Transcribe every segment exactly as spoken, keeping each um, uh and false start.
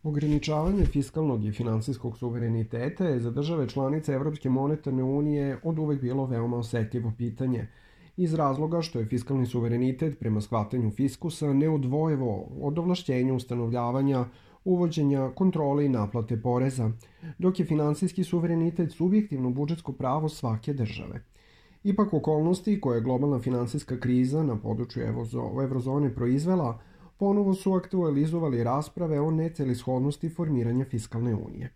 Ograničavanje fiskalnog i finansijskog suvereniteta je za države članice Evropske monetarne unije od uvek bilo veoma osetljivo pitanje, iz razloga što je fiskalni suverenitet prema shvatanju fiskusa neodvojevo od ovlašćenja ustanovljavanja, uvođenja, kontrole i naplate poreza, dok je finansijski suverenitet subjektivno budžetsko pravo svake države. Ipak okolnosti koje je globalna finansijska kriza na području evrozone proizvela ponovo su aktualizovali rasprave o necelishodnosti formiranja fiskalne unije.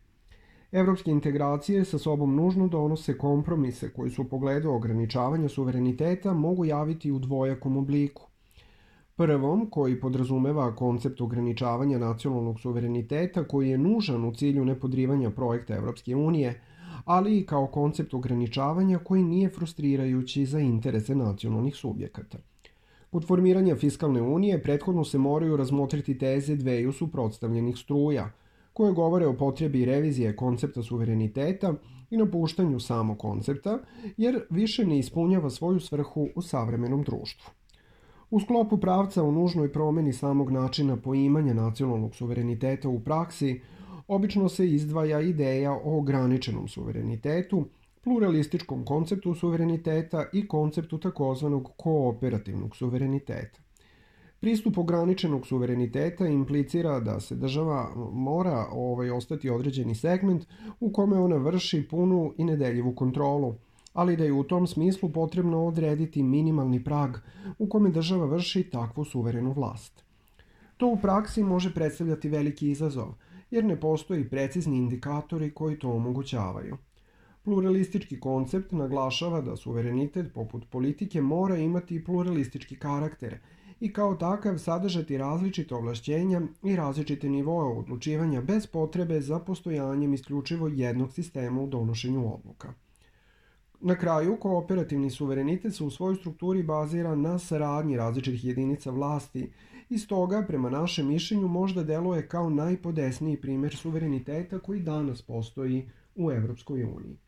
Evropske integracije sa sobom nužno donose kompromise koji su u pogledu ograničavanja suvereniteta mogu javiti u dvojakom obliku. Prvom, koji podrazumeva koncept ograničavanja nacionalnog suvereniteta koji je nužan u cilju nepodrivanja projekta Evropske unije, ali i kao koncept ograničavanja koji nije frustrirajući za interese nacionalnih subjekata. Kod formiranja fiskalne unije prethodno se moraju razmotriti teze dveju suprotstavljenih struja, koje govore o potrebi revizije koncepta suvereniteta i napuštanju samog koncepta, jer više ne ispunjava svoju svrhu u savremenom društvu. U sklopu pravca o nužnoj promeni samog načina poimanja nacionalnog suvereniteta u praksi, obično se izdvaja ideja o ograničenom suverenitetu, pluralističkom konceptu suvereniteta i konceptu takozvanog kooperativnog suvereniteta. Pristup ograničenog suvereniteta implicira da se država mora ovaj, ostati određeni segment u kome ona vrši punu i nedeljivu kontrolu, ali da je u tom smislu potrebno odrediti minimalni prag u kome država vrši takvu suverenu vlast. To u praksi može predstavljati veliki izazov, jer ne postoji precizni indikatori koji to omogućavaju. Pluralistički koncept naglašava da suverenitet poput politike mora imati pluralistički karakter i kao takav sadržati različite ovlašćenja i različite nivoe odlučivanja bez potrebe za postojanjem isključivo jednog sistema u donošenju odluka. Na kraju, kooperativni suverenitet se u svojoj strukturi bazira na saradnji različitih jedinica vlasti i stoga, prema našem mišljenju, možda deluje kao najpodesniji primer suvereniteta koji danas postoji u Evropskoj uniji.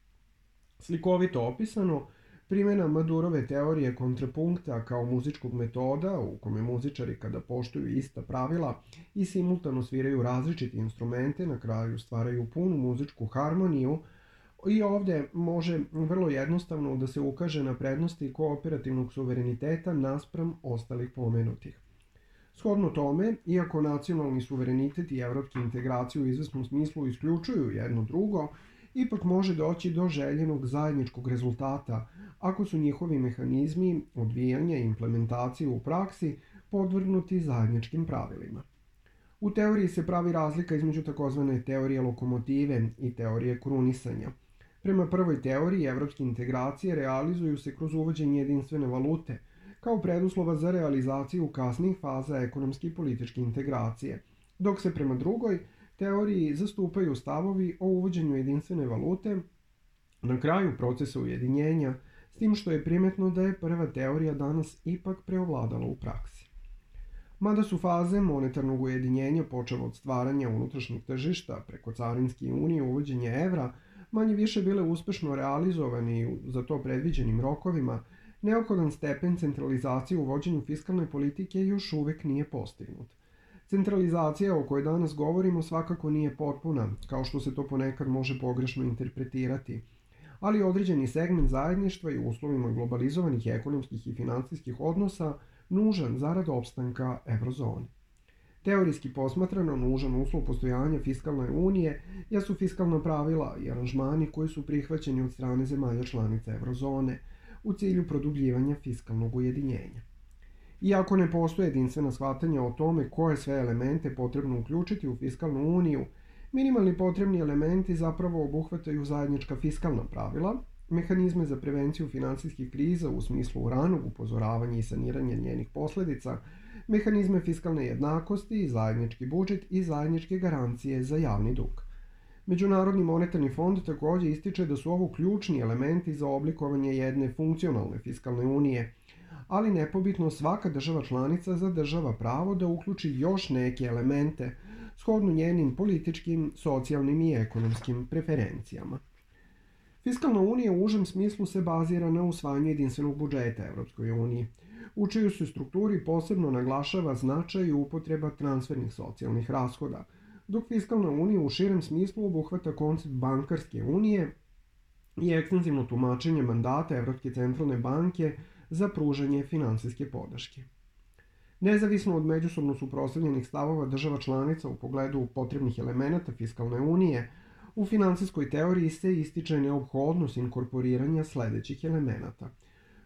Slikovito opisano, primjena Madurove teorije kontrapunkta kao muzičkog metoda, u kome muzičari kada poštuju ista pravila i simultano sviraju različite instrumente, na kraju stvaraju punu muzičku harmoniju, i ovdje može vrlo jednostavno da se ukaže na prednosti kooperativnog suvereniteta naspram ostalih pomenutih. Shodno tome, iako nacionalni suverenitet i evropski integraciju u izvesnom smislu isključuju jedno drugo, ipak može doći do željenog zajedničkog rezultata ako su njihovi mehanizmi odvijanja i implementacije u praksi podvrgnuti zajedničkim pravilima. U teoriji se pravi razlika između takozvane teorije lokomotive i teorije krunisanja. Prema prvoj teoriji, evropske integracije realizuju se kroz uvođenje jedinstvene valute, kao preduslova za realizaciju kasnijih faza ekonomske i političke integracije, dok se prema drugoj teoriji zastupaju stavovi o uvođenju jedinstvene valute na kraju procesa ujedinjenja, s tim što je primetno da je prva teorija danas ipak preovladala u praksi. Mada su faze monetarnog ujedinjenja počev od stvaranja unutrašnjeg tržišta preko carinske unije i uvođenja evra manje više bile uspešno realizovani za to predviđenim rokovima, neophodan stepen centralizacije u vođenju fiskalne politike još uvek nije postignut. Centralizacija o kojoj danas govorimo svakako nije potpuna, kao što se to ponekad može pogrešno interpretirati, ali određeni segment zajedništva i u uslovima globalizovanih ekonomskih i finansijskih odnosa nužan zarad opstanka evrozone. Teorijski posmatrano nužan uslov postojanja fiskalne unije jesu fiskalna pravila i aranžmani koji su prihvaćeni od strane zemalja članica evrozone u cilju produbljivanja fiskalnog ujedinjenja. Iako ne postoje jedinstvena shvatanja o tome koje sve elemente potrebno uključiti u fiskalnu uniju, minimalni potrebni elementi zapravo obuhvataju zajednička fiskalna pravila, mehanizme za prevenciju finansijskih kriza u smislu ranog upozoravanja i saniranja njenih posledica, mehanizme fiskalne jednakosti, zajednički budžet i zajedničke garancije za javni dug. Međunarodni monetarni fond takođe ističe da su ovo ključni elementi za oblikovanje jedne funkcionalne fiskalne unije, ali nepobitno svaka država članica zadržava pravo da uključi još neke elemente shodno njenim političkim, socijalnim i ekonomskim preferencijama. Fiskalna unija u užem smislu se bazira na usvajanju jedinstvenog budžeta Evropskoj uniji, u čijoj se strukturi posebno naglašava značaj i upotreba transfernih socijalnih rashoda, dok fiskalna unija u širem smislu obuhvata koncept bankarske unije i ekstenzivno tumačenje mandata Evropske centralne banke za pružanje finansijske podrške. Nezavisno od međusobno suprotstavljenih stavova država članica u pogledu potrebnih elemenata fiskalne unije, u finansijskoj teoriji se ističe neophodnost inkorporiranja sledećih elemenata.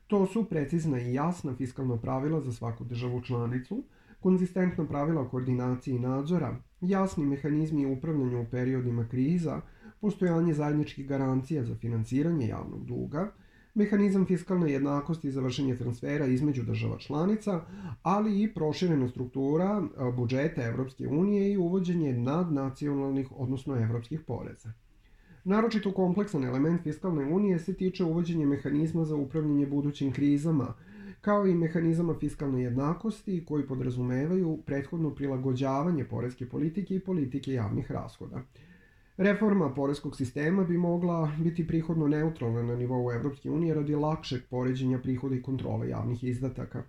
To su precizna i jasna fiskalna pravila za svaku državu članicu, konzistentna pravila koordinacije i nadzora, jasni mehanizmi upravljanja u periodima kriza, postojanje zajedničkih garancija za finansiranje javnog duga, mehanizam fiskalne jednakosti za vršenje transfera između država članica, ali i proširena struktura budžeta Evropske unije i uvođenje nadnacionalnih, odnosno evropskih poreza. Naročito kompleksan element fiskalne unije se tiče uvođenja mehanizma za upravljanje budućim krizama, kao i mehanizama fiskalne jednakosti koji podrazumevaju prethodno prilagođavanje poreske politike i politike javnih rashoda. Reforma poreskog sistema bi mogla biti prihodno neutralna na nivou Evropske unije radi lakšeg poređenja prihoda i kontrole javnih izdataka.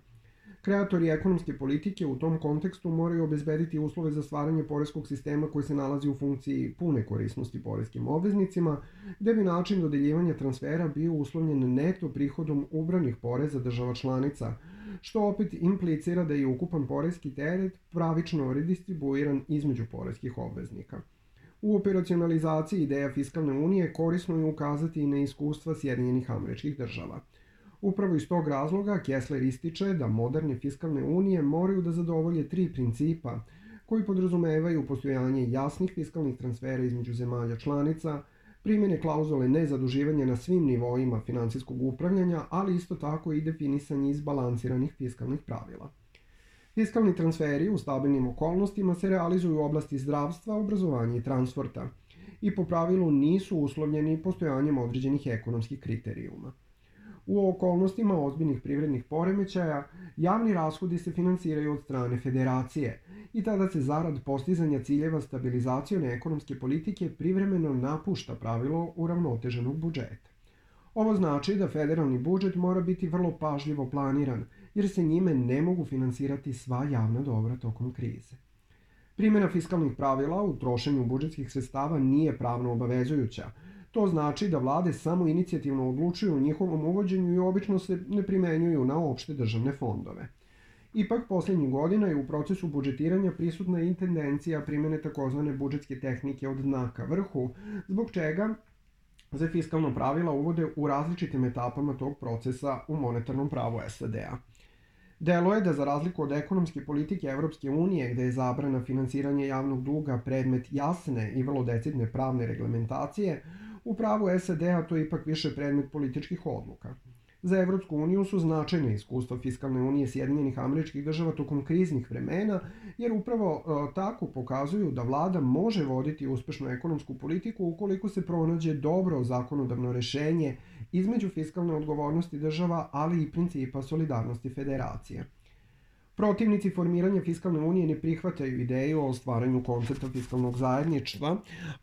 Kreatori ekonomske politike u tom kontekstu moraju obezbediti uslove za stvaranje poreskog sistema koji se nalazi u funkciji pune korisnosti poreskim obveznicima, gde bi način dodeljivanja transfera bio uslovljen neto prihodom ubranih poreza država članica, što opet implicira da je ukupan poreski teret pravično redistribuiran između poreskih obveznika. U operacionalizaciji ideja fiskalne unije korisno je ukazati i na iskustva Sjedinjenih Američkih Država. Upravo iz tog razloga Kessler ističe da moderne fiskalne unije moraju da zadovolje tri principa koji podrazumevaju postojanje jasnih fiskalnih transfera između zemalja članica, primjene klauzule nezaduživanja na svim nivoima finansijskog upravljanja, ali isto tako i definisanje izbalansiranih fiskalnih pravila. Fiskalni transferi u stabilnim okolnostima se realizuju u oblasti zdravstva, obrazovanja i transporta i po pravilu nisu uslovljeni postojanjem određenih ekonomskih kriterijuma. U okolnostima ozbiljnih privrednih poremećaja, javni rashodi se finansiraju od strane federacije i tada se zarad postizanja ciljeva stabilizacione ekonomske politike privremeno napušta pravilo uravnoteženog budžeta. Ovo znači da federalni budžet mora biti vrlo pažljivo planiran, jer se njime ne mogu finansirati sva javna dobra tokom krize. Primjena fiskalnih pravila u trošenju budžetskih sredstava nije pravno obavezujuća. To znači da vlade samo inicijativno odlučuju o njihovom uvođenju i obično se ne primenjuju na opšte državne fondove. Ipak, posljednjih godina je u procesu budžetiranja prisutna i tendencija primjene takozvane budžetske tehnike od dna ka vrhu, zbog čega se fiskalna pravila uvode u različitim etapama tog procesa u monetarnom pravu es a de a. Delo je da za razliku od ekonomske politike Evropske unije, gde je zabrana finansiranja javnog duga predmet jasne i vrlo decidne pravne reglementacije, u pravu es a de a to je ipak više predmet političkih odluka. Za Evropsku uniju su značajne iskustva fiskalne unije Sjedinjenih Američkih Država tokom kriznih vremena, jer upravo e, tako pokazuju da vlada može voditi uspešnu ekonomsku politiku ukoliko se pronađe dobro zakonodavno rešenje između fiskalne odgovornosti država, ali i principa solidarnosti federacije. Protivnici formiranja fiskalne unije ne prihvataju ideju o stvaranju koncepta fiskalnog zajedništva,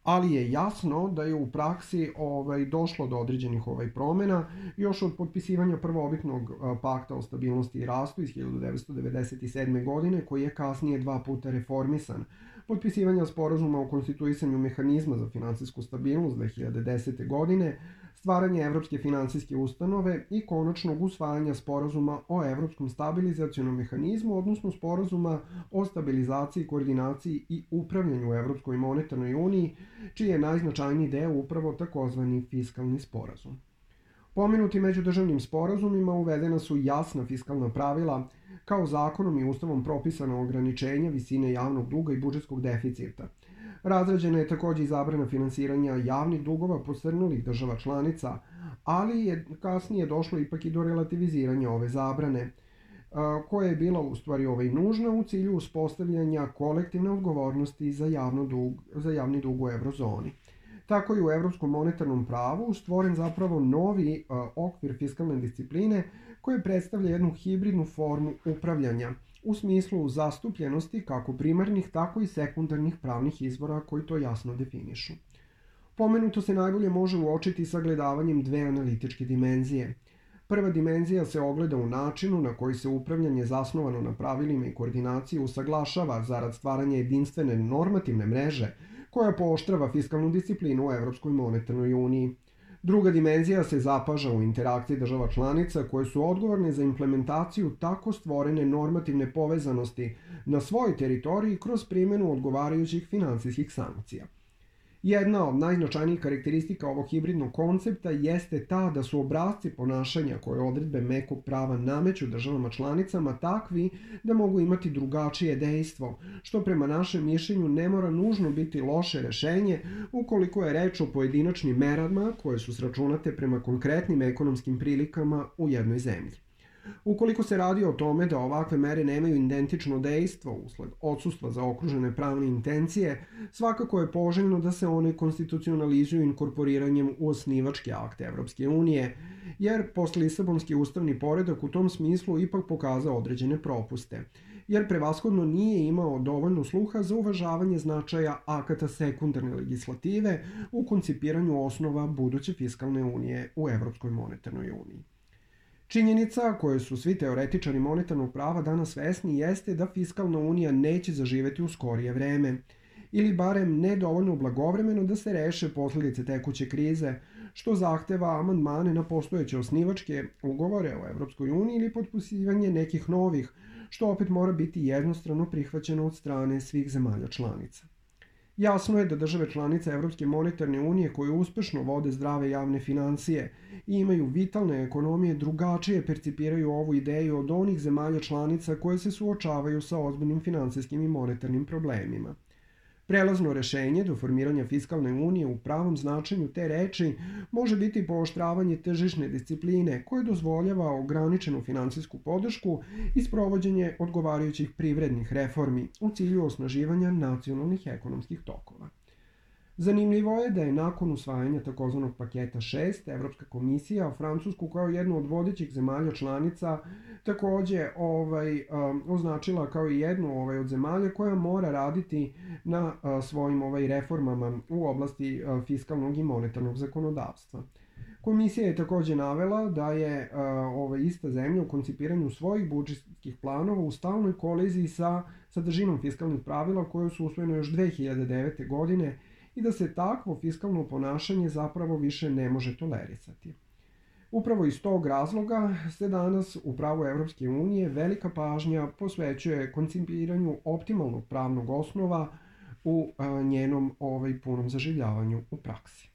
ali je jasno da je u praksi ovaj, došlo do određenih ovaj, promjena još od potpisivanja prvobitnog pakta o stabilnosti i rastu iz hiljadu devetsto devedeset sedme. godine, koji je kasnije dva puta reformisan, potpisivanja sporazuma o konstituisanju mehanizma za finansijsku stabilnost dve hiljade desete. godine, stvaranje Evropske finansijske ustanove i konačnog usvajanja sporazuma o Evropskom stabilizacionom mehanizmu, odnosno sporazuma o stabilizaciji, koordinaciji i upravljanju u Evropskoj monetarnoj uniji, čiji je najznačajniji deo upravo takozvani fiskalni sporazum. Pomenuti međudržavnim sporazumima uvedena su jasna fiskalna pravila, kao zakonom i ustavom propisana ograničenja visine javnog duga i budžetskog deficita. Razrađena je takođe i zabrana finansiranja javnih dugova posrnulih država članica, ali je kasnije došlo ipak i do relativiziranja ove zabrane, koja je bila u stvari ovaj nužna u cilju uspostavljanja kolektivne odgovornosti za, javno dug, za javni dug u eurozoni. Tako je u evropskom monetarnom pravu stvoren zapravo novi uh, okvir fiskalne discipline koji predstavlja jednu hibridnu formu upravljanja u smislu zastupljenosti kako primarnih, tako i sekundarnih pravnih izvora koji to jasno definišu. Pomenuto se najbolje može uočiti sagledavanjem dve analitičke dimenzije. Prva dimenzija se ogleda u načinu na koji se upravljanje zasnovano na pravilima i koordinaciji usaglašava zarad stvaranja jedinstvene normativne mreže koja pooštrava fiskalnu disciplinu u Evropskoj monetarnoj uniji. Druga dimenzija se zapaža u interakciji država članica koje su odgovorne za implementaciju tako stvorene normativne povezanosti na svojoj teritoriji kroz primjenu odgovarajućih finansijskih sankcija. Jedna od najznačajnijih karakteristika ovog hibridnog koncepta jeste ta da su obrasci ponašanja koje odredbe mekog prava nameću državama članicama takvi da mogu imati drugačije dejstvo, što prema našem mišljenju ne mora nužno biti loše rešenje ukoliko je reč o pojedinačnim merama koje su sračunate prema konkretnim ekonomskim prilikama u jednoj zemlji. Ukoliko se radi o tome da ovakve mere nemaju identično dejstvo usled odsustva zaokružene pravne intencije, svakako je poželjno da se one konstitucionalizuju inkorporiranjem u osnivačke akte Evropske unije, jer postlisabonski ustavni poredak u tom smislu ipak pokazao određene propuste, jer prevashodno nije imao dovoljno sluha za uvažavanje značaja akata sekundarne legislative u koncipiranju osnova buduće fiskalne unije u Evropskoj monetarnoj uniji. Činjenica koje su svi teoretičari monetarnog prava danas svesni jeste da fiskalna unija neće zaživeti u skorije vreme, ili barem ne dovoljno blagovremeno da se reše posledice tekuće krize, što zahteva amandmane na postojeće osnivačke ugovore o Evropskoj uniji ili potpisivanje nekih novih, što opet mora biti jednostrano prihvaćeno od strane svih zemalja članica. Jasno je da države članice Evropske monetarne unije koje uspešno vode zdrave javne financije i imaju vitalne ekonomije drugačije percipiraju ovu ideju od onih zemalja članica koje se suočavaju sa ozbiljnim finansijskim i monetarnim problemima. Prelazno rešenje do formiranja fiskalne unije u pravom značenju te reči može biti pooštravanje tržišne discipline koje dozvoljava ograničenu finansijsku podršku i sprovođenje odgovarajućih privrednih reformi u cilju osnaživanja nacionalnih ekonomskih tokova. Zanimljivo je da je nakon usvajanja takozvanog paketa šest, Evropska komisija Francusku kao jednu od vodećih zemalja članica takođe ovaj, um, označila kao i jednu ovaj, od zemalja koja mora raditi na uh, svojim ovaj, reformama u oblasti uh, fiskalnog i monetarnog zakonodavstva. Komisija je takođe navela da je uh, ova ista zemlja u koncipiranju svojih budžetskih planova u stalnoj koliziji sa sadržinom fiskalnih pravila koje su usvojene još dve hiljade devete. godine i da se takvo fiskalno ponašanje zapravo više ne može tolerisati. Upravo iz tog razloga se danas u pravu Evropske unije velika pažnja posvećuje koncipiranju optimalnog pravnog osnova u a, njenom ovaj, punom zaživljavanju u praksi.